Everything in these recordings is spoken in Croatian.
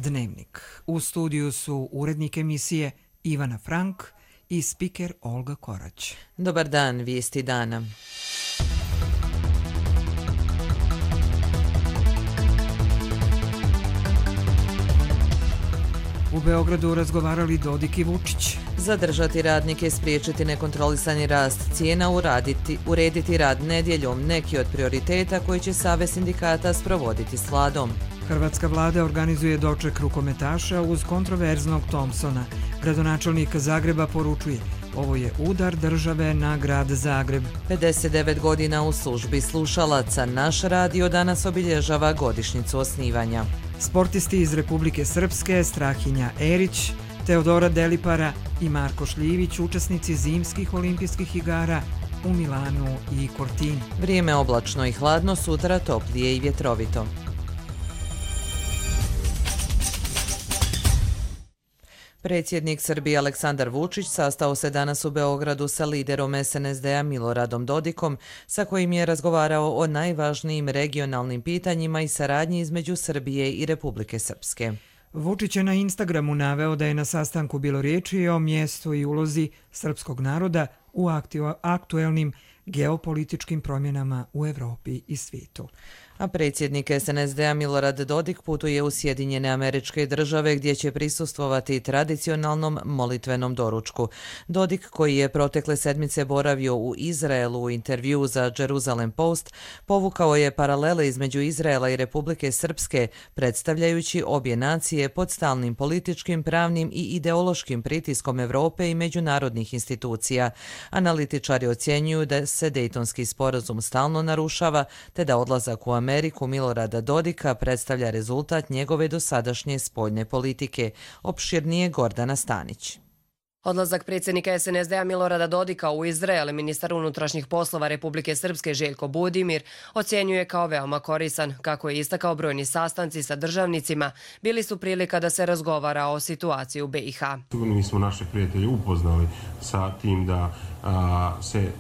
Dnevnik. U studiju su urednik emisije Ivana Frank i spiker Olga Korać. Dobar dan, vijesti dana. U Beogradu razgovarali Dodik i Vučić. Zadržati radnike, spriječiti nekontrolisani rast cijena, urediti rad nedjeljom, neki od prioriteta koji će Savez sindikata sprovoditi s vladom. Hrvatska vlada organizuje doček rukometaša uz kontroverznog Thompsona. Gradonačelnik Zagreba poručuje: ovo je udar države na grad Zagreb. 59 godina u službi slušalaca. Naš radio danas obilježava godišnjicu osnivanja. Sportisti iz Republike Srpske, Strahinja Erić, Teodora Delipara i Marko Šljivić, učesnici zimskih olimpijskih igara u Milanu i Cortini. Vrijeme oblačno i hladno, sutra toplije i vjetrovito. Predsjednik Srbije Aleksandar Vučić sastao se danas u Beogradu sa liderom SNSD-a Miloradom Dodikom, sa kojim je razgovarao o najvažnijim regionalnim pitanjima i saradnji između Srbije i Republike Srpske. Vučić je na Instagramu naveo da je na sastanku bilo riječi o mjestu i ulozi srpskog naroda u aktuelnim geopolitičkim promjenama u Evropi i svijetu. A predsjednik SNSD-a Milorad Dodik putuje u Sjedinjene Američke Države gdje će prisustvovati tradicionalnom molitvenom doručku. Dodik, koji je protekle sedmice boravio u Izraelu u intervjuu za Jerusalem Post, povukao je paralele između Izraela i Republike Srpske, predstavljajući obje nacije pod stalnim političkim, pravnim i ideološkim pritiskom Evrope i međunarodnih institucija. Analitičari ocjenjuju da se Dejtonski sporazum stalno narušava, te da odlazak u Ameriku Milorada Dodika predstavlja rezultat njegove dosadašnje spoljne politike. Opširnije Gordana Stanić. Odlazak predsjednika SNSD-a Milorada Dodika u Izrael, ministar unutrašnjih poslova Republike Srpske Željko Budimir ocjenjuje kao veoma koristan. Kako je istakao, brojni sastanci sa državnicima bili su prilika da se razgovara o situaciji u BiH. Mi smo naše prijatelje upoznali sa tim da se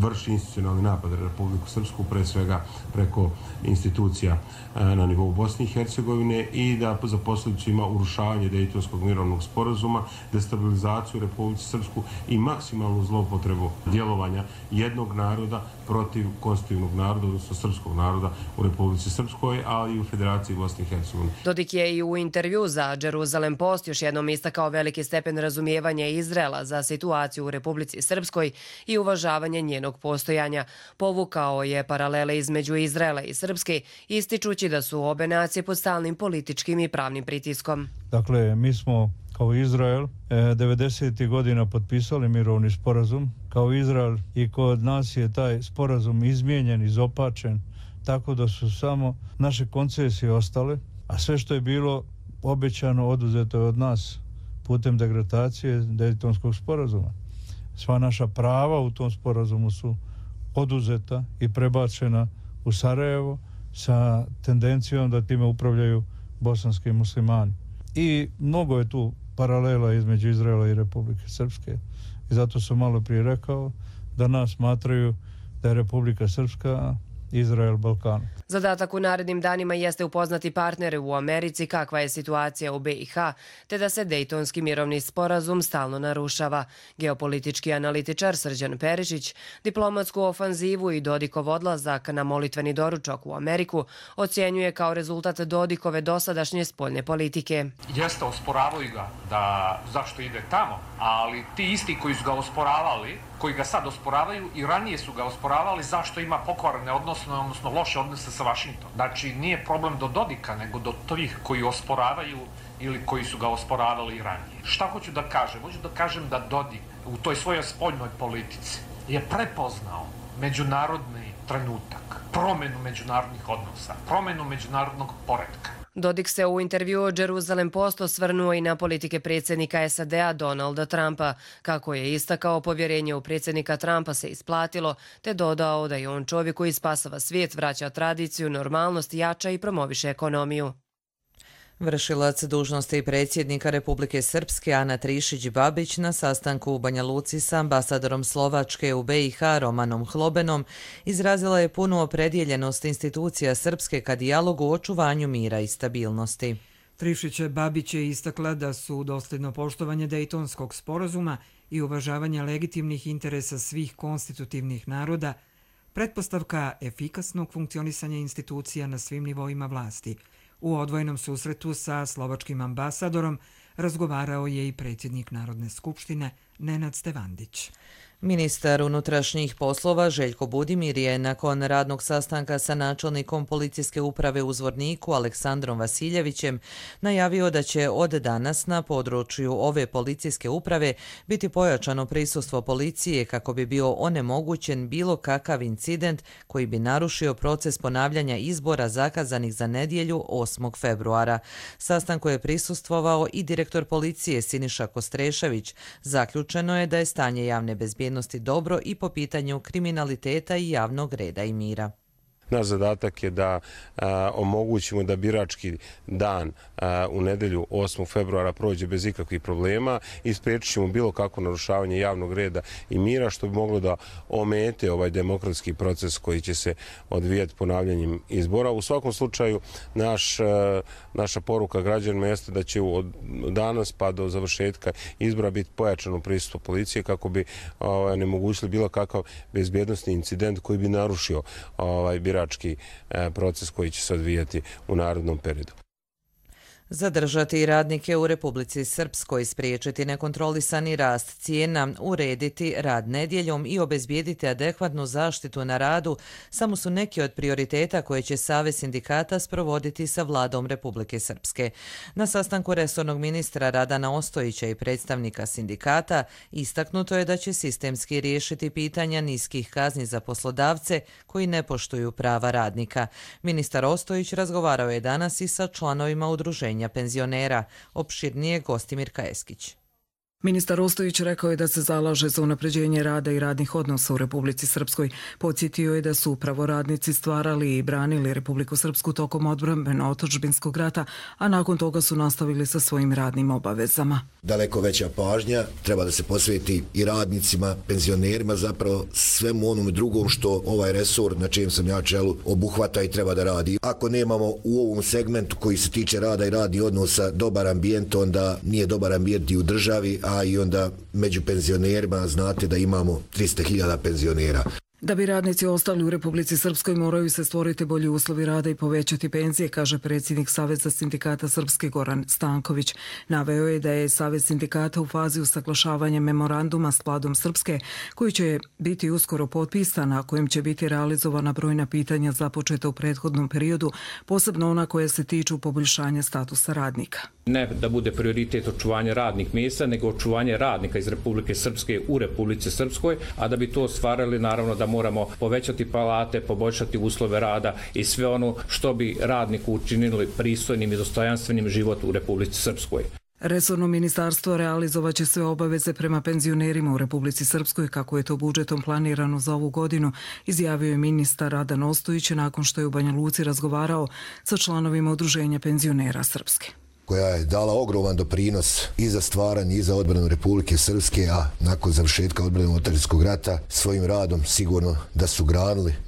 vrši institucionalni napad na Republiku Srpsku, pre svega preko institucija na nivou Bosne i Hercegovine, i da za posljedicu ima urušavanje Dejtonskog mirovnog sporazuma, destabilizaciju Republike Srpsku i maksimalnu zloupotrebu djelovanja jednog naroda protiv konstitutivnog naroda, odnosno srpskog naroda u Republici Srpskoj, ali i u Federaciji Bosne i Hercegovine. Dodik je i u intervju za Jerusalem Post još jednom istakao veliki stepen razumijevanja Izraela za situaciju u Republici Srpskoj i uvažavanje njenog postojanja. Povukao je paralele između Izraela i Srpske, ističući da su obe nacije pod stalnim političkim i pravnim pritiskom. Dakle, mi smo kao Izrael 90. godina potpisali mirovni sporazum. Kao Izrael i kod nas je taj sporazum izmijenjen, izopačen, tako da su samo naše koncesije ostale, a sve što je bilo obećano oduzeto je od nas putem degradacije Dejtonskog sporazuma. Sva naša prava u tom sporazumu su oduzeta i prebačena u Sarajevo sa tendencijom da time upravljaju bosanski muslimani. I mnogo je tu paralela između Izraela i Republike Srpske. I zato sam malo prije rekao da nas smatraju da je Republika Srpska Izrael Balkanu. Zadatak u narednim danima jeste upoznati partnere u Americi kakva je situacija u BiH, te da se Dejtonski mirovni sporazum stalno narušava. Geopolitički analitičar Srđan Perišić diplomatsku ofanzivu i Dodikov odlazak na molitveni doručak u Ameriku ocjenjuje kao rezultat Dodikove dosadašnje spoljne politike. Jeste, osporavaju ga da zašto ide tamo, ali ti isti koji su ga osporavali, koji ga sad osporavaju i ranije su ga osporavali zašto ima pokvarene odnosno loše odnose sa Vašingtonom. Znači, nije problem do Dodika, nego do tih koji osporavaju ili koji su ga osporavali i ranije. Šta hoću da kažem? Hoću da kažem da Dodik u toj svojoj spoljnoj politici je prepoznao međunarodni trenutak, promjenu međunarodnih odnosa, promjenu međunarodnog poretka. Dodik se u intervjuu Jerusalem Post osvrnuo i na politike predsjednika SAD-a Donalda Trumpa. Kako je istakao, povjerenje u predsjednika Trumpa se isplatilo, te dodao da je on čovjek koji spasava svijet, vraća tradiciju, normalnost, jača i promoviše ekonomiju. Vršilac dužnosti predsjednika Republike Srpske Ana Trišić-Babić na sastanku u Banja Luci sa ambasadorom Slovačke u BiH Romanom Hlobenom izrazila je punu opredjeljenost institucija Srpske ka dijalogu o očuvanju mira i stabilnosti. Trišića Babić je istakla da su dosljedno poštovanje Dejtonskog sporazuma i uvažavanje legitimnih interesa svih konstitutivnih naroda pretpostavka efikasnog funkcionisanja institucija na svim nivoima vlasti. U odvojenom susretu sa slovačkim ambasadorom razgovarao je i predsjednik Narodne skupštine Nenad Stevandić. Ministar unutrašnjih poslova Željko Budimir je nakon radnog sastanka sa načelnikom policijske uprave u Zvorniku Aleksandrom Vasiljevićem najavio da će od danas na području ove policijske uprave biti pojačano prisustvo policije kako bi bio onemogućen bilo kakav incident koji bi narušio proces ponavljanja izbora zakazanih za nedjelju 8. februara. Sastanku je prisustvovao i direktor policije Siniša Kostrešević. Zaključeno je da je stanje javne bezbjednosti dobro i po pitanju kriminaliteta i javnog reda i mira. Naš zadatak je da omogućimo da birački dan u nedelju 8. februara prođe bez ikakvih problema i spriječit ćemo bilo kako narušavanje javnog reda i mira što bi moglo da omete ovaj demokratski proces koji će se odvijati ponavljanjem izbora. U svakom slučaju naša poruka građanima jeste da će od danas pa do završetka izbora biti pojačano prisustvo policije kako bi onemogućili bilo kakav bezbjednosni incident koji bi narušio birački proces koji će se odvijati u narednom periodu. Zadržati radnike u Republici Srpskoj, spriječiti nekontrolisani rast cijena, urediti rad nedjeljom i obezbijediti adekvatnu zaštitu na radu samo su neki od prioriteta koje će Savez sindikata sprovoditi sa vladom Republike Srpske. Na sastanku resornog ministra Radana Ostojića i predstavnika sindikata istaknuto je da će sistemski riješiti pitanja niskih kazni za poslodavce koji ne poštuju prava radnika. Ministar Ostojić razgovarao je danas i sa članovima udruženja penzionera. Opširnije Gostimir Kajeskić. Ministar Ostojić rekao je da se zalaže za unapređenje rada i radnih odnosa u Republici Srpskoj. Podsjetio je da su upravo radnici stvarali i branili Republiku Srpsku tokom odbrambeno-otadžbinskog rata, a nakon toga su nastavili sa svojim radnim obavezama. Daleko veća pažnja treba da se posveti i radnicima, penzionerima, zapravo svemu onome drugom što ovaj resor na čijem sam ja čelu obuhvata i treba da radi. Ako nemamo u ovom segmentu koji se tiče rada i radnih odnosa dobar ambijent, onda nije dobar ambijent i u državi, a i onda među penzionerima znate da imamo 300.000 penzionera. Da bi radnici ostali u Republici Srpskoj moraju se stvoriti bolji uslovi rada i povećati penzije, kaže predsjednik Saveza sindikata Srpske Goran Stanković. Naveo je da je Savez sindikata u fazi usaglašavanja memoranduma s vladom Srpske, koji će biti uskoro potpisan, a kojim će biti realizovana brojna pitanja započeta u prethodnom periodu, posebno ona koja se tiču poboljšanja statusa radnika. Ne da bude prioritet očuvanje radnih mjesta, nego očuvanje radnika iz Republike Srpske u Republici Srpskoj, a da bi to ostvarili naravno da moramo povećati plate, poboljšati uslove rada i sve ono što bi radniku učinili pristojnim i dostojanstvenim život u Republici Srpskoj. Resorno ministarstvo realizovaće sve obaveze prema penzionerima u Republici Srpskoj kako je to budžetom planirano za ovu godinu, izjavio je ministar Radan Ostojić nakon što je u Banja Luci razgovarao sa članovima Udruženja penzionera Srpske, koja je dala ogroman doprinos i za stvaranje i za odbranu Republike Srpske, a nakon završetka odbrambeno-otadžbinskog rata svojim radom sigurno da su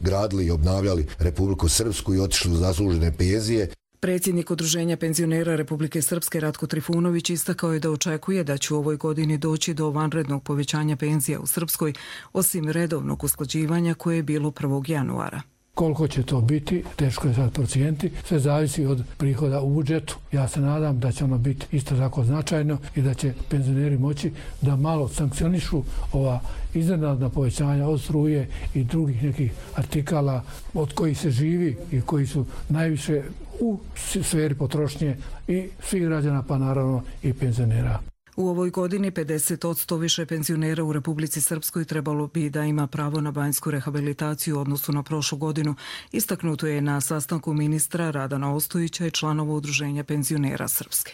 gradili i obnavljali Republiku Srpsku i otišli u zaslužene penzije. Predsjednik Udruženja penzionera Republike Srpske Ratko Trifunović istakao je da očekuje da će u ovoj godini doći do vanrednog povećanja penzija u Srpskoj, osim redovnog usklađivanja koje je bilo 1. januara. Koliko će to biti, teško je sad procijeniti, sve zavisi od prihoda u budžetu. Ja se nadam da će ono biti isto tako značajno i da će penzioneri moći da malo sankcionišu ova iznenadna povećanja od struje i drugih nekih artikala od kojih se živi i koji su najviše u sferi potrošnje i svih građana, pa naravno i penzionera. U ovoj godini 50% više penzionera u Republici Srpskoj trebalo bi da ima pravo na banjsku rehabilitaciju u odnosu na prošlu godinu. Istaknuto je na sastanku ministra Radana Ostojića i članova Udruženja penzionera Srpske.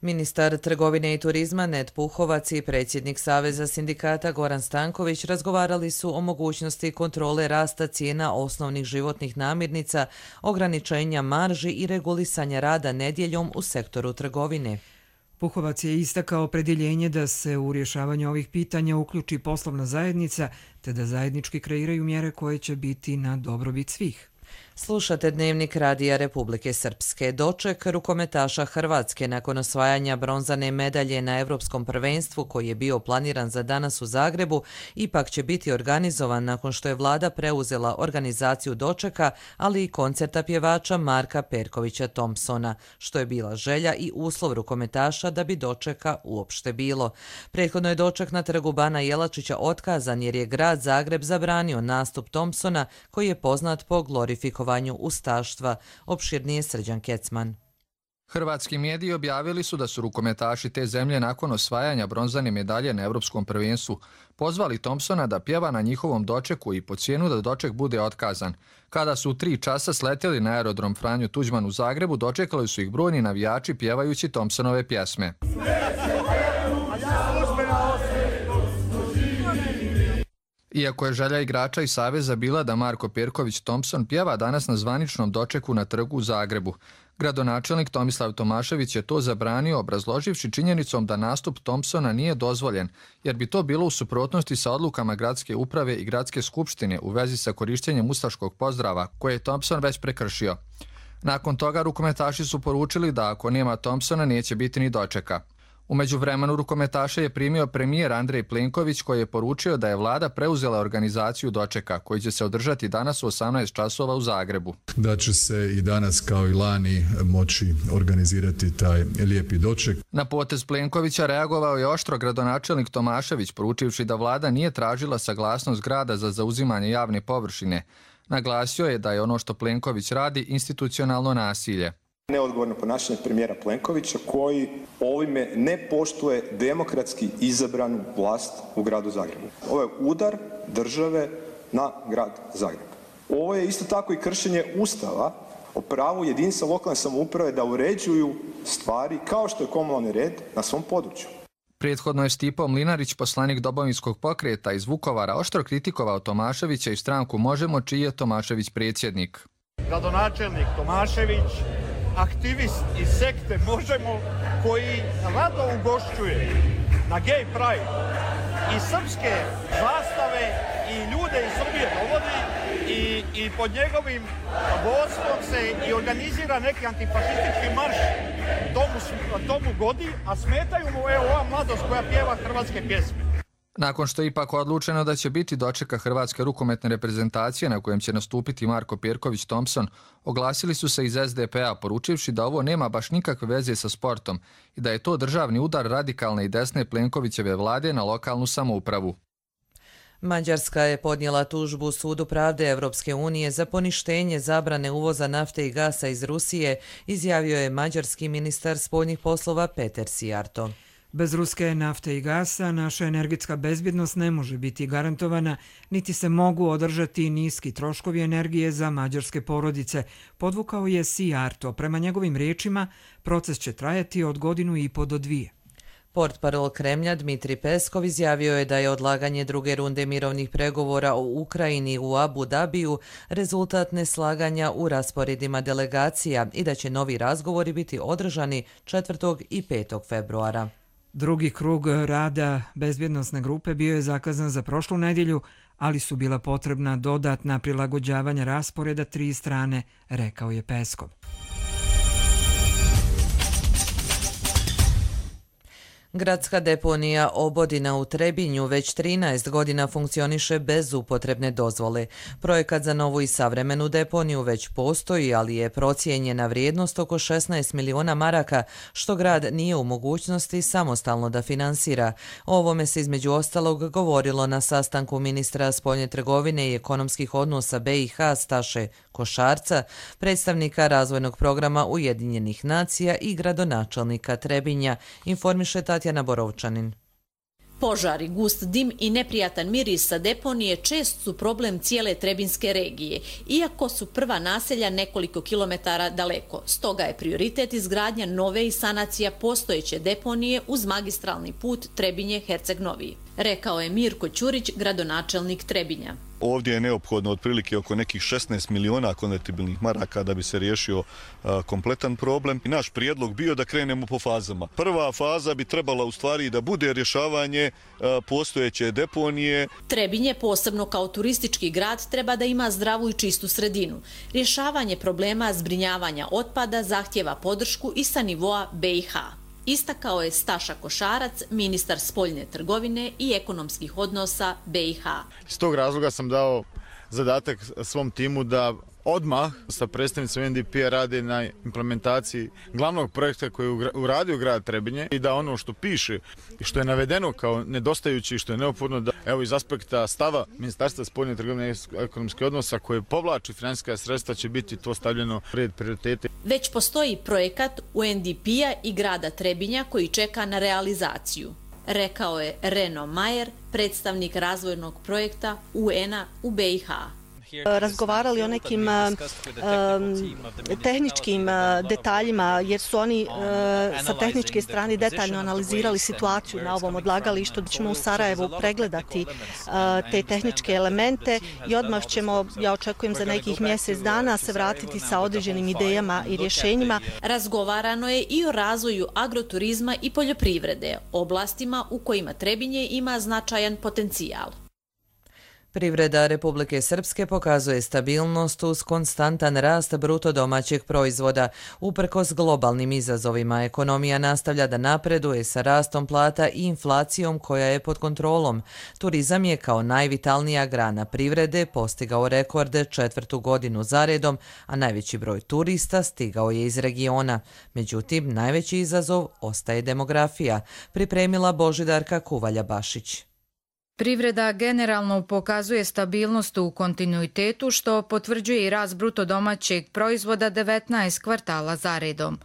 Ministar trgovine i turizma Ned Puhovac i predsjednik Saveza sindikata Goran Stanković razgovarali su o mogućnosti kontrole rasta cijena osnovnih životnih namirnica, ograničenja marži i regulisanja rada nedjeljom u sektoru trgovine. Puhovac je istakao opredjeljenje da se u rješavanju ovih pitanja uključi poslovna zajednica te da zajednički kreiraju mjere koje će biti na dobrobit svih. Slušate Dnevnik Radija Republike Srpske. Doček rukometaša Hrvatske nakon osvajanja bronzane medalje na Evropskom prvenstvu koji je bio planiran za danas u Zagrebu ipak će biti organizovan nakon što je vlada preuzela organizaciju dočeka, ali i koncerta pjevača Marka Perkovića Thompsona, što je bila želja i uslov rukometaša da bi dočeka uopšte bilo. Prethodno je doček na trgu Bana Jelačića otkazan jer je grad Zagreb zabranio nastup Thompsona koji je poznat po glorifikovanju ustaštva, opširnije Srđan Kecman. Hrvatski mediji objavili su da su rukometaši te zemlje nakon osvajanja bronzane medalje na Evropskom prvenstvu pozvali Thompsona da pjeva na njihovom dočeku i po cijenu da doček bude otkazan. Kada su u 3 časa sletjeli na aerodrom Franjo Tuđman u Zagrebu, dočekali su ih brojni navijači pjevajući Thompsonove pjesme. Iako je želja igrača i saveza bila da Marko Perković Thompson pjeva danas na zvaničnom dočeku na trgu u Zagrebu, gradonačelnik Tomislav Tomašević je to zabranio obrazloživši činjenicom da nastup Thompsona nije dozvoljen, jer bi to bilo u suprotnosti sa odlukama gradske uprave i gradske skupštine u vezi sa korištenjem ustaškog pozdrava, koje je Thompson već prekršio. Nakon toga rukometaši su poručili da ako nema Thompsona neće biti ni dočeka. U međuvremenu rukometaše je primio premijer Andrej Plenković koji je poručio da je vlada preuzela organizaciju dočeka koji će se održati danas u 18 časova u Zagrebu. Da će se i danas kao i lani moći organizirati taj lijepi doček. Na potez Plenkovića reagovao je oštro gradonačelnik Tomašević poručivši da vlada nije tražila saglasnost grada za zauzimanje javne površine. Naglasio je da je ono što Plenković radi institucionalno nasilje. Neodgovorno ponašanje premijera Plenkovića koji ovime ne poštuje demokratski izabranu vlast u gradu Zagrebu. Ovo je udar države na grad Zagreb. Ovo je isto tako i kršenje Ustava o pravu jedinica lokalne samouprave da uređuju stvari kao što je komunalni red na svom području. Prethodno je Stipo Mlinarić, poslanik Domovinskog pokreta iz Vukovara, oštro kritikovao Tomaševića i stranku Možemo, čiji je Tomašević predsjednik. Gradonačelnik Tomašević, aktivist iz sekte Možemo, koji rado ugošćuje na Gay Pride i srpske zastave i ljude iz Srbije dovodi i pod njegovim vodstvom se i organizira neki antifašistički marš tomu godi, a smetaju mu ova mladost koja pjeva hrvatske pjesme. Nakon što je ipak odlučeno da će biti dočeka hrvatske rukometne reprezentacije na kojem će nastupiti Marko Perković Thompson, oglasili su se iz SDP-a poručivši da ovo nema baš nikakve veze sa sportom i da je to državni udar radikalne i desne Plenkovićeve vlade na lokalnu samoupravu. Mađarska je podnijela tužbu Sudu pravde Evropske unije za poništenje zabrane uvoza nafte i gasa iz Rusije, izjavio je mađarski ministar spoljnih poslova Peter Sijarto. Bez ruske nafte i gasa naša energetska bezbjednost ne može biti garantovana, niti se mogu održati niski troškovi energije za mađarske porodice, podvukao je Sijarto. Prema njegovim riječima, proces će trajati od 1,5 do 2. Portparol Kremlja Dmitri Peskov izjavio je da je odlaganje druge runde mirovnih pregovora o Ukrajini u Abu Dabiju rezultat neslaganja u rasporedima delegacija i da će novi razgovori biti održani 4. i 5. februara. Drugi krug rada bezbjednosne grupe bio je zakazan za prošlu nedjelju, ali su bila potrebna dodatna prilagođavanja rasporeda 3 strane, rekao je Peskov. Gradska deponija Obodina u Trebinju već 13 godina funkcioniše bez upotrebne dozvole. Projekat za novu i savremenu deponiju već postoji, ali je procijenjena vrijednost oko 16 miliona maraka, što grad nije u mogućnosti samostalno da finansira. O ovome se između ostalog govorilo na sastanku ministra spoljne trgovine i ekonomskih odnosa BiH Staše Košarca, predstavnika razvojnog programa Ujedinjenih nacija i gradonačelnika Trebinja, informiše Tatjana Borovčanin. Požari, gust dim i neprijatan miris sa deponije čest su problem cijele Trebinske regije, iako su prva naselja nekoliko kilometara daleko. Stoga je prioritet izgradnja nove i sanacija postojeće deponije uz magistralni put Trebinje-Herceg Novi, rekao je Mirko Ćurić, gradonačelnik Trebinja. Ovdje je neophodno otprilike oko nekih 16 miliona konvertibilnih maraka da bi se riješio kompletan problem. I naš prijedlog bio da krenemo po fazama. Prva faza bi trebala u stvari da bude rješavanje postojeće deponije. Trebinje, posebno kao turistički grad, treba da ima zdravu i čistu sredinu. Rješavanje problema zbrinjavanja otpada zahtjeva podršku i sa nivoa BiH. Istakao je Staša Košarac, ministar spoljne trgovine i ekonomskih odnosa BiH. Iz tog razloga sam dao zadatak svom timu da odmah sa predstavnicom UNDP-a rade na implementaciji glavnog projekta koji je uradio grad Trebinje i da ono što piše i što je navedeno kao nedostajući i što je neophodno da evo iz aspekta stava Ministarstva spoljne trgovine i ekonomskih odnosa koje povlači financijska sredstva će biti to stavljeno u red prioritete. Već postoji projekat UNDP-a i grada Trebinja koji čeka na realizaciju, rekao je Reno Majer, predstavnik razvojnog projekta UN-a u BiH. Razgovarali o nekim tehničkim detaljima, jer su oni sa tehničke strane detaljno analizirali situaciju na ovom odlagalištu. Ćemo u Sarajevu pregledati te tehničke elemente i odmah ćemo, ja očekujem za nekih mjesec dana, se vratiti sa određenim idejama i rješenjima. Razgovarano je i o razvoju agroturizma i poljoprivrede, oblastima u kojima Trebinje ima značajan potencijal. Privreda Republike Srpske pokazuje stabilnost uz konstantan rast bruto domaćeg proizvoda. Uprkos globalnim izazovima, ekonomija nastavlja da napreduje sa rastom plata i inflacijom koja je pod kontrolom. Turizam je kao najvitalnija grana privrede postigao rekord 4. godinu zaredom, a najveći broj turista stigao je iz regiona. Međutim, najveći izazov ostaje demografija, pripremila Božidarka Kuvalja-Bašić. Privreda generalno pokazuje stabilnost u kontinuitetu, što potvrđuje i rast bruto domaćeg proizvoda 19 kvartala zaredom.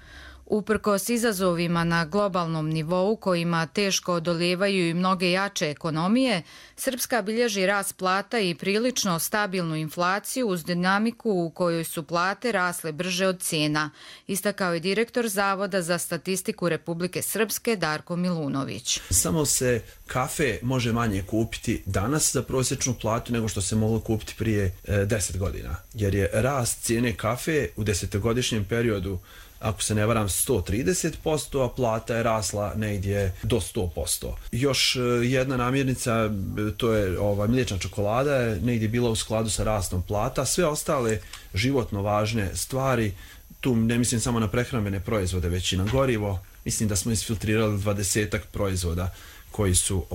Uprkos izazovima na globalnom nivou kojima teško odolijevaju i mnoge jače ekonomije, Srpska bilježi rast plata i prilično stabilnu inflaciju uz dinamiku u kojoj su plate rasle brže od cijena, istakao je direktor Zavoda za statistiku Republike Srpske Darko Milunović. Samo se kafe može manje kupiti danas za prosječnu platu nego što se moglo kupiti prije 10 godina, jer je rast cijene kafe u 10-godišnjem periodu, ako se ne varam, 130%, a plata je rasla negdje do 100%. Još jedna namirnica, to je mliječna čokolada, je negdje bila u skladu sa rastom plata. Sve ostale životno važne stvari, tu ne mislim samo na prehrambene proizvode, već i na gorivo, mislim da smo isfiltrirali 20-ak proizvoda koji su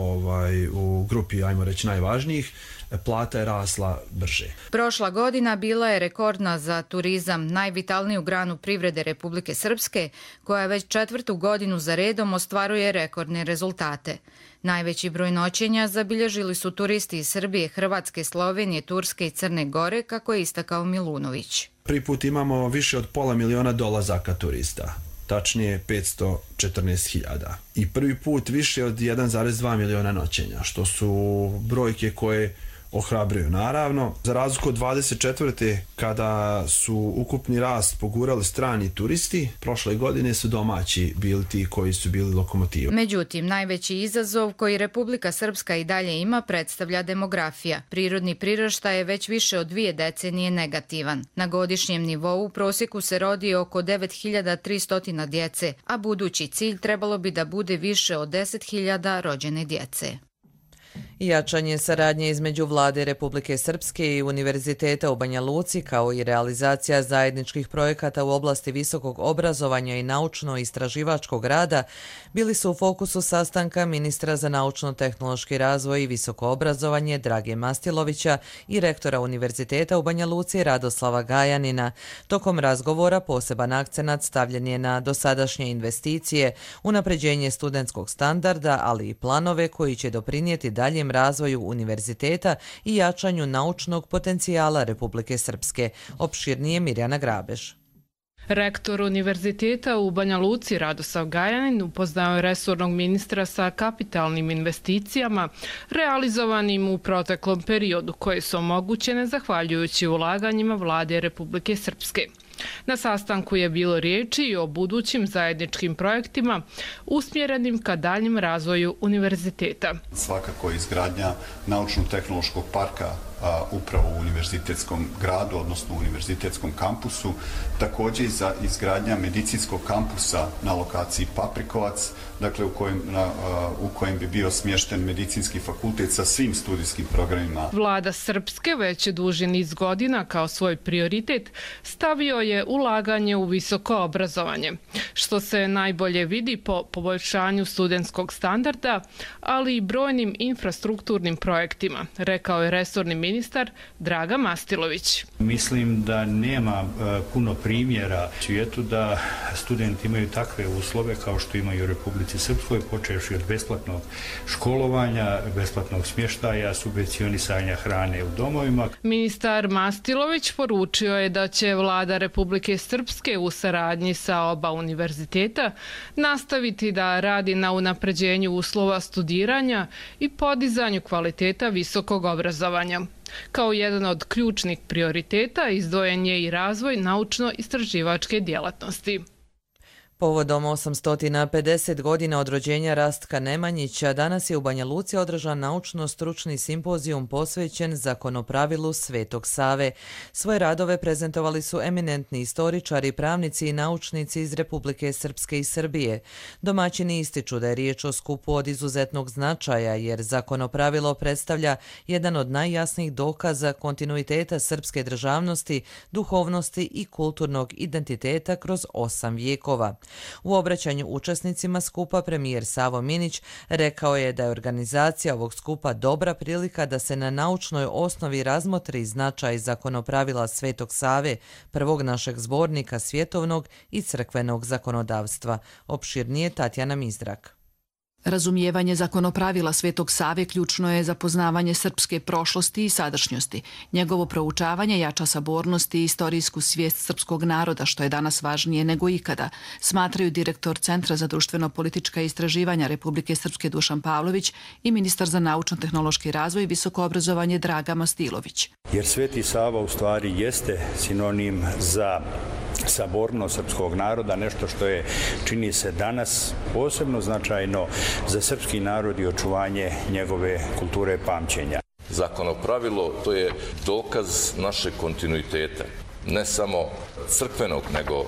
u grupi, ajmo reći, najvažnijih. Plata je rasla brže. Prošla godina bila je rekordna za turizam, najvitalniju granu privrede Republike Srpske, koja već 4. godinu za redom ostvaruje rekordne rezultate. Najveći broj noćenja zabilježili su turisti iz Srbije, Hrvatske, Slovenije, Turske i Crne Gore, kako je istakao Milunović. Prvi put imamo više od $500 000 dolazaka turista. Tačnije 514.000. I prvi put više od 1,2 miliona noćenja, što su brojke koje ohrabruju. Naravno, za razliku od 24. kada su ukupni rast pogurali strani turisti, prošle godine su domaći bili ti koji su bili lokomotiva. Međutim, najveći izazov koji Republika Srpska i dalje ima predstavlja demografija. Prirodni priraštaj je već više od 2 decenije negativan. Na godišnjem nivou u prosjeku se rodi oko 9.300 djece, a budući cilj trebalo bi da bude više od 10.000 rođene djece. Jačanje saradnje između Vlade Republike Srpske i Univerziteta u Banja Luci, kao i realizacija zajedničkih projekata u oblasti visokog obrazovanja i naučno-istraživačkog rada bili su u fokusu sastanka ministra za naučno-tehnološki razvoj i visoko obrazovanje Drage Mastilovića i rektora Univerziteta u Banja Luci Radoslava Gajanina. Tokom razgovora poseban akcenat stavljen je na dosadašnje investicije, unapređenje studentskog standarda, ali i planove koji će doprinijeti daljem razvoju univerziteta i jačanju naučnog potencijala Republike Srpske. Opširnije Mirjana Grabež. Rektor Univerziteta u Banja Luci Radoslav Gajanin upoznao je resornog ministra sa kapitalnim investicijama realizovanim u proteklom periodu, koje su omogućene zahvaljujući ulaganjima Vlade Republike Srpske. Na sastanku je bilo riječi i o budućim zajedničkim projektima usmjerenim ka daljem razvoju univerziteta. Svakako izgradnja naučno-tehnološkog parka upravo u univerzitetskom gradu, odnosno u univerzitetskom kampusu. Također i za izgradnja medicinskog kampusa na lokaciji Paprikovac, dakle u kojem bi bio smješten medicinski fakultet sa svim studijskim programima. Vlada Srpske već duži niz godina kao svoj prioritet stavio je ulaganje u visoko obrazovanje, što se najbolje vidi po poboljšanju studentskog standarda, ali i brojnim infrastrukturnim projektima, rekao je resorni ministar Draga Mastilović. Mislim da nema puno primjera u svijetu da studenti imaju takve uslove kao što imaju u Republici Srpskoj, počevši od besplatnog školovanja, besplatnog smještaja, subvencionisanja hrane u domovima. Ministar Mastilović poručio je da će Vlada Republike Srpske u saradnji sa oba univerziteta nastaviti da radi na unapređenju uslova studiranja i podizanju kvaliteta visokog obrazovanja. Kao jedan od ključnih prioriteta izdvojen je i razvoj naučno-istraživačke djelatnosti. Povodom 850 godina od rođenja Rastka Nemanjića, danas je u Banja Luci održan naučno-stručni simpozijum posvećen zakonopravilu Svetog Save. Svoje radove prezentovali su eminentni istoričari, pravnici i naučnici iz Republike Srpske i Srbije. Domaćini ističu da je riječ o skupu od izuzetnog značaja, jer zakonopravilo predstavlja jedan od najjasnijih dokaza kontinuiteta srpske državnosti, duhovnosti i kulturnog identiteta kroz 8 vijekova. U obraćanju učesnicima skupa premijer Savo Minić rekao je da je organizacija ovog skupa dobra prilika da se na naučnoj osnovi razmotri značaj zakonopravila Svetog Save, prvog našeg zbornika svjetovnog i crkvenog zakonodavstva. Opširnije Tatjana Mizdrak. Razumijevanje zakonopravila Svetog Save ključno je za poznavanje srpske prošlosti i sadašnjosti. Njegovo proučavanje jača sabornost i istorijsku svijest srpskog naroda, što je danas važnije nego ikada, smatraju direktor Centra za društveno-politička istraživanja Republike Srpske Dušan Pavlović i ministar za naučno-tehnološki razvoj i visoko obrazovanje Draga Mastilović. Jer Sveti Sava u stvari jeste sinonim za sabornost srpskog naroda, nešto što je, čini se danas, posebno značajno za srpski narod i očuvanje njegove kulture pamćenja. Zakonopravilo to je dokaz našeg kontinuiteta, ne samo crkvenog, nego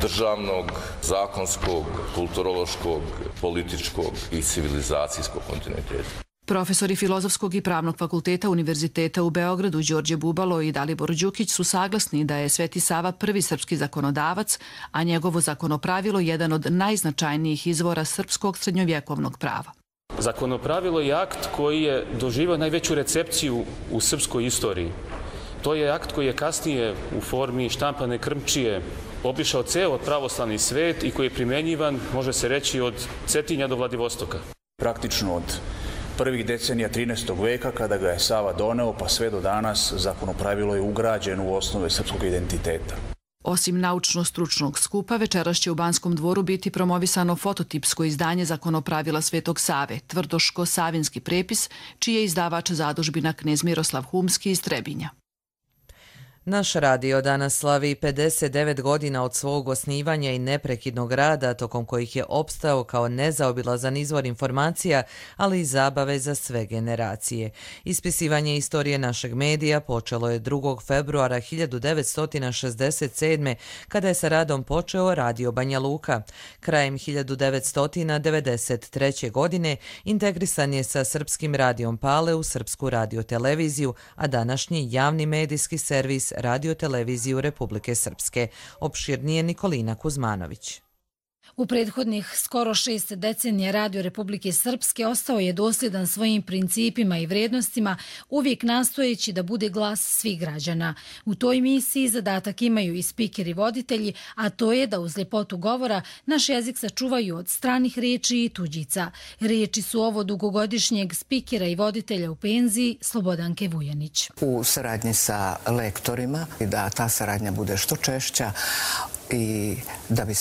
državnog, zakonskog, kulturološkog, političkog i civilizacijskog kontinuiteta. Profesori Filozofskog i Pravnog fakulteta Univerziteta u Beogradu Đorđe Bubalo i Dalibor Đukić su saglasni da je Sveti Sava prvi srpski zakonodavac, a njegovo zakonopravilo jedan od najznačajnijih izvora srpskog srednjovjekovnog prava. Zakonopravilo je akt koji je doživio najveću recepciju u srpskoj istoriji. To je akt koji je kasnije u formi štampane krmčije obišao ceo pravoslavni svet i koji je primjenjivan, može se reći, od Cetinja do Vladivostoka. Praktično od prvih decenija 13. veka, kada ga je Sava doneo, pa sve do danas, zakonopravilo je ugrađeno u osnove srpskog identiteta. Osim naučno-stručnog skupa, večeras će u Banskom dvoru biti promovisano fototipsko izdanje zakonopravila Svetog Save, tvrdoško-savinski prepis, čiji je izdavač zadužbina knez Miroslav Humski iz Trebinja. Naš radio danas slavi 59 godina od svog osnivanja i neprekidnog rada, tokom kojih je opstao kao nezaobilazan izvor informacija, ali i zabave za sve generacije. Ispisivanje istorije našeg medija počelo je 2. februara 1967. kada je sa radom počeo Radio Banja Luka. Krajem 1993. godine integrisan je sa Srpskim radijom Pale u Srpsku radioteleviziju, a današnji javni medijski servis Radioteleviziju Republike Srpske. Opširnije Nikolina Kuzmanović. U prethodnih skoro 6 decenija Radio Republike Srpske ostao je dosljedan svojim principima i vrijednostima, uvijek nastojeći da bude glas svih građana. U toj misiji zadatak imaju i spikeri voditelji, a to je da uz ljepotu govora naš jezik sačuvaju od stranih riječi i tuđica. Riječi su ovo dugogodišnjeg spikera i voditelja u penziji Slobodanke Vujanić. U saradnji sa lektorima, da ta saradnja bude što češća, i da bi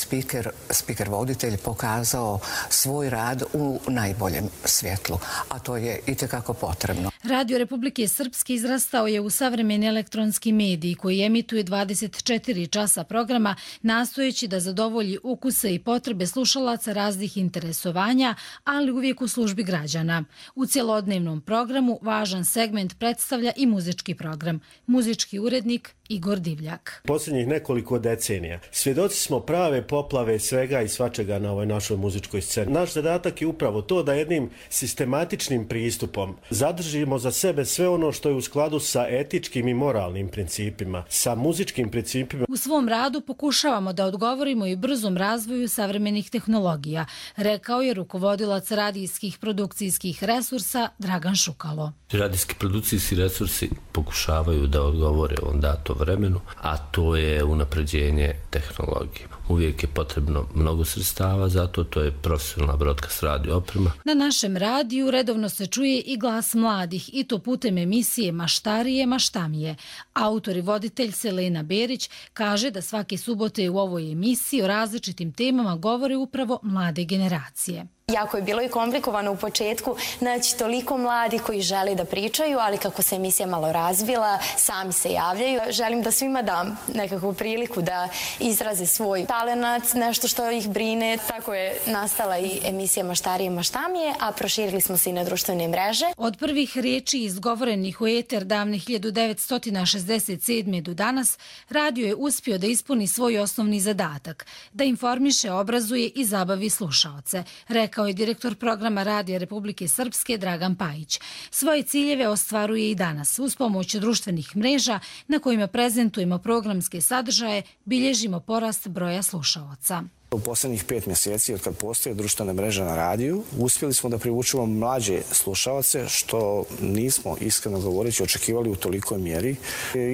speaker voditelj pokazao svoj rad u najboljem svjetlu, a to je itekako potrebno. Radio Republike Srpske izrastao je u savremeni elektronski mediji koji emituje 24 časa programa, nastojeći da zadovolji ukuse i potrebe slušalaca raznih interesovanja, ali uvijek u službi građana. U cjelodnevnom programu važan segment predstavlja i muzički program. Muzički urednik Igor Divljak. Posljednjih nekoliko decenija svjedoci smo prave poplave svega i svačega na ovoj našoj muzičkoj sceni. Naš zadatak je upravo to da jednim sistematičnim pristupom zadržimo za sebe sve ono što je u skladu sa etičkim i moralnim principima, sa muzičkim principima. U svom radu pokušavamo da odgovorimo i brzom razvoju savremenih tehnologija, rekao je rukovodilac radijskih produkcijskih resursa Dragan Šukalo. Radijski produkcijski resursi pokušavaju da odgovore ovom datom vremenu, a to je unapređenje tehnologije. Uvijek je potrebno mnogo sredstava, zato to je profesionalna broadcast radio oprema. Na našem radiju redovno se čuje i glas mladih, i to putem emisije Maštarije, Maštamije. Autor i voditelj Selena Berić kaže da svake subote u ovoj emisiji o različitim temama govore upravo mlade generacije. Jako je bilo i komplikovano u početku naći toliko mladi koji žele da pričaju, ali kako se emisija malo razvila, sami se javljaju. Želim da svima dam nekakvu priliku da izraze svoj talenat, nešto što ih brine. Tako je nastala i emisija Maštarije Maštamije, a proširili smo se i na društvene mreže. Od prvih riječi izgovorenih u eter davne 1967. do danas, radio je uspio da ispuni svoj osnovni zadatak, da informiše, obrazuje i zabavi slušaoce, rekao je direktor programa Radija Republike Srpske Dragan Pajić. Svoje ciljeve ostvaruje i danas. Uz pomoć društvenih mreža na kojima prezentujemo programske sadržaje, bilježimo porast broja slušaoca. U posljednjih 5 mjeseci od kad postoje društvene mreže na radiju, uspjeli smo da privučemo mlađe slušaoce, što nismo, iskreno govoreći, očekivali u tolikoj mjeri.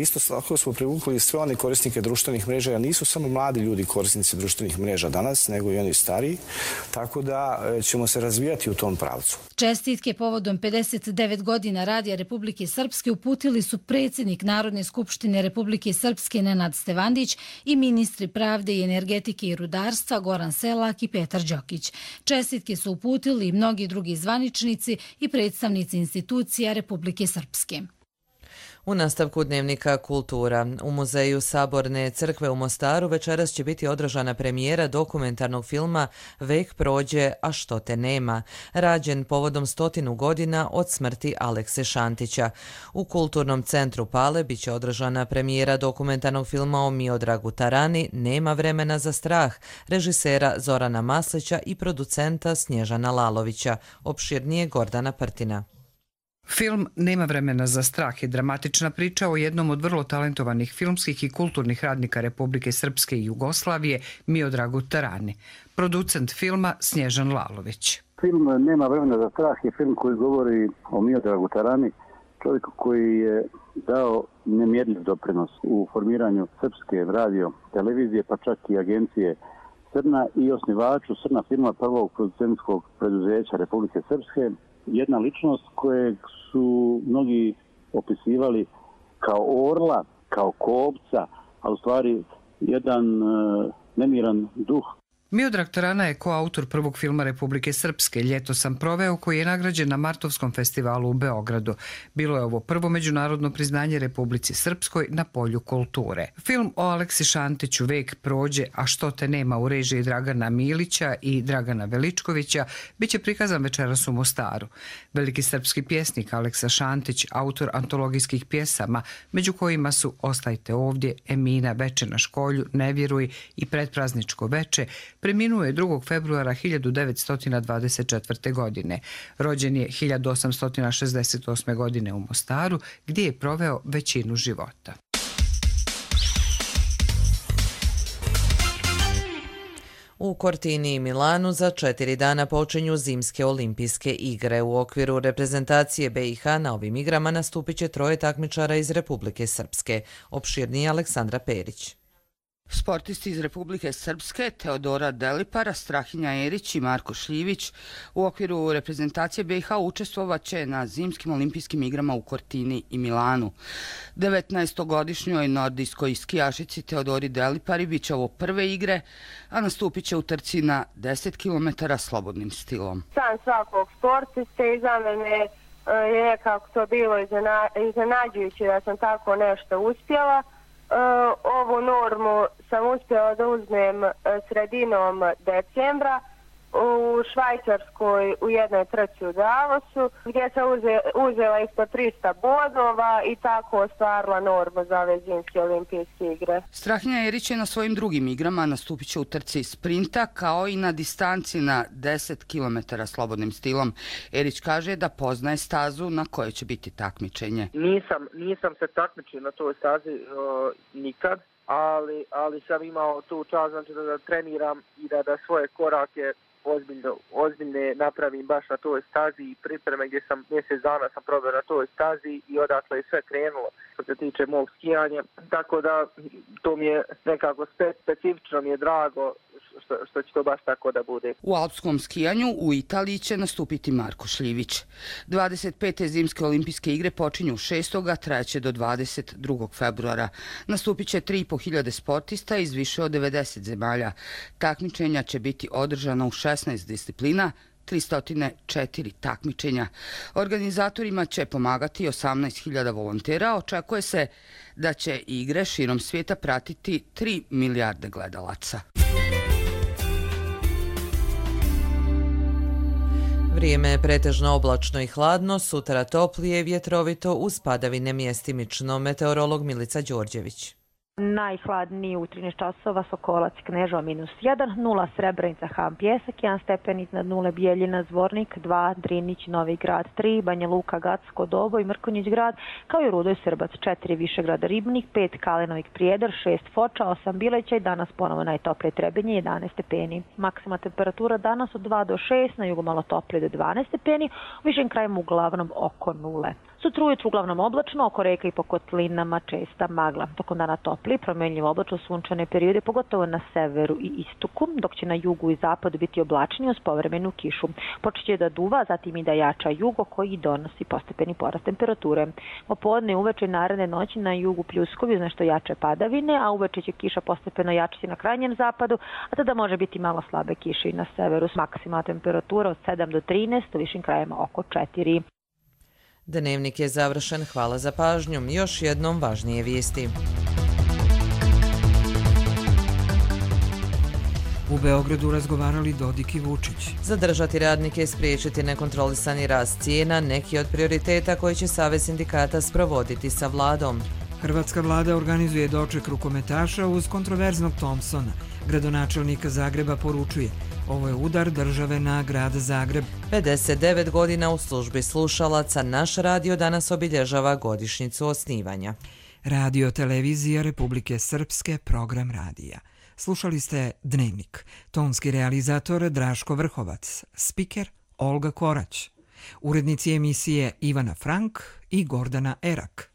Isto tako smo privukli sve one korisnike društvenih mreža, jer nisu samo mladi ljudi korisnici društvenih mreža danas, nego i oni stariji, tako da ćemo se razvijati u tom pravcu. Čestitke povodom 59 godina Radija Republike Srpske uputili su predsjednik Narodne skupštine Republike Srpske Nenad Stevandić i ministri pravde i energetike i rudarstva Goran Selak i Petar Đokić. Čestitke su uputili i mnogi drugi zvaničnici i predstavnici institucija Republike Srpske. U nastavku dnevnika Kultura. U muzeju Saborne crkve u Mostaru večeras će biti održana premijera dokumentarnog filma Vek prođe, a što te nema, rađen povodom 100 godina od smrti Alekse Šantića. U Kulturnom centru Pale biće održana premijera dokumentarnog filma o Miodragu Tarani Nema vremena za strah, režisera Zorana Maslića i producenta Snježana Lalovića. Opširnije Gordana Prtina. Film Nema vremena za strah je dramatična priča o jednom od vrlo talentovanih filmskih i kulturnih radnika Republike Srpske i Jugoslavije, Miodragu Tarani. Producent filma Snježan Lalović. Film Nema vremena za strah je film koji govori o Miodragu Tarani, čovjeku koji je dao nemjerljiv doprinos u formiranju srpske radio televizije, pa čak i agencije Srna i osnivaču Srna filma, prvog producentskog preduzeća Republike Srpske. Jedna ličnost kojeg su mnogi opisivali kao orla, kao kopca, a u stvari jedan nemiran duh. Miodrag Tarana je koautor prvog filma Republike Srpske Ljeto sam proveo, koji je nagrađen na Martovskom festivalu u Beogradu. Bilo je ovo prvo međunarodno priznanje Republici Srpskoj na polju kulture. Film o Aleksi Šantiću Vek prođe, a što te nema, u režiji Dragana Milića i Dragana Veličkovića, biće prikazan večeras u Mostaru. Veliki srpski pjesnik Aleksa Šantić, autor antologijskih pjesama, među kojima su Ostajte ovdje, Emina, Veče na školju, Ne vjeruj i Predprazničko veče, preminuo je 2. februara 1924. godine. Rođen je 1868. godine u Mostaru, gdje je proveo većinu života. U Cortini i Milanu za 4 dana počinju zimske olimpijske igre. U okviru reprezentacije BiH na ovim igrama nastupit će 3 takmičara iz Republike Srpske. Opširnije Aleksandra Perić. Sportisti iz Republike Srpske Teodora Delipara, Strahinja Erić i Marko Šljivić u okviru reprezentacije BiH učestvovaće na zimskim olimpijskim igrama u Cortini i Milanu. 19-godišnjoj nordijskoj skijašici Teodori Delipari bit će ovo prve igre, a nastupit će u trci na 10 km slobodnim stilom. San svakog sportiste i za mene je nekako to bilo iznenađujuće da sam tako nešto uspjela. Ovu normu sam uspjela da uzmem sredinom decembra u Švajcarskoj u jednoj trci u Davosu, gdje sam uzela ispod 300 bodova i tako ostvarila normu za ove zimske olimpijske igre. Strahinja Erić je na svojim drugim igrama nastupit će u trci sprinta kao i na distanci na 10 km slobodnim stilom. Erić kaže da poznaje stazu na kojoj će biti takmičenje. Nisam se takmičio na toj stazi nikad, ali sam imao tu čast, znači da treniram i da svoje korake ozbiljne napravim baš na toj stazi i pripreme gdje sam mjesec dana sam probao na toj stazi i odatle je sve krenulo što se tiče mog skijanja. Tako da to mi je nekako specifično, mi je drago što će to baš tako da bude. U alpskom skijanju u Italiji će nastupiti Marko Šljivić. 25. zimske olimpijske igre počinju 6. a trajaće do 22. februara. Nastupit će 3.500 sportista iz više od 90 zemalja. Takmičenja će biti održana u 16 disciplina, 304 takmičenja. Organizatorima će pomagati 18.000 volontera. Očekuje se da će igre širom svijeta pratiti 3 milijarde gledalaca. Vrijeme je pretežno oblačno i hladno, sutra toplije i vjetrovito uz padavine mjestimično. Meteorolog Milica Đorđević. Najhladniji u 13 časova Sokolac Knežova -1, 0 Srebrenica Ham Pjesak, 1 stepen iznad 0 Bijeljina Zvornik, 2 Drinić Novi Grad, 3 Banja Luka Gacko Dobo i Mrkonjić Grad, kao i Rudoj Srbac, 4 Višegrada Ribnik, 5 Kalenovik Prijedor, 6 Foča, 8 Bileća i danas ponovo najtoplije Trebinje 11 stepeni. Maksima temperatura danas od 2 do 6, na jugu malo toplije do 12 stepeni, u višim krajima uglavnom oko 0. Sutra ujutru uglavnom oblačno, oko reka i po kotlinama česta magla. Tokom dana topli, promjenljivo oblačno sunčane periode, pogotovo na severu i istoku, dok će na jugu i zapadu biti oblačnije uz povremenu kišu. Počeće da duva, zatim i da jača jugo koji donosi postepeni porast temperature. Popodne i uveče naredne noći na jugu pljuskovi uz nešto jače padavine, a uveče će kiša postepeno jačiti na krajnjem zapadu, a tada može biti malo slabe kiše i na severu s maksimalna temperatura od 7 do 13, u višim krajima oko 4. Dnevnik je završen, hvala za pažnju. Još jednom važnije vijesti. U Beogradu razgovarali Dodik i Vučić. Zadržati radnike i spriječiti nekontrolisani rast cijena, neki od prioriteta koji će Savez sindikata sprovoditi sa vladom. Hrvatska vlada organizuje doček rukometaša uz kontroverznog Thompsona. Gradonačelnik Zagreba poručuje: ovo je udar države na grad Zagreb. 59 godina u službi slušalaca, naš radio danas obilježava godišnjicu osnivanja. Radio Televizija Republike Srpske, program radija. Slušali ste Dnevnik. Tonski realizator Draško Vrhovac. Spiker Olga Korać. Urednici emisije Ivana Frank i Gordana Erak.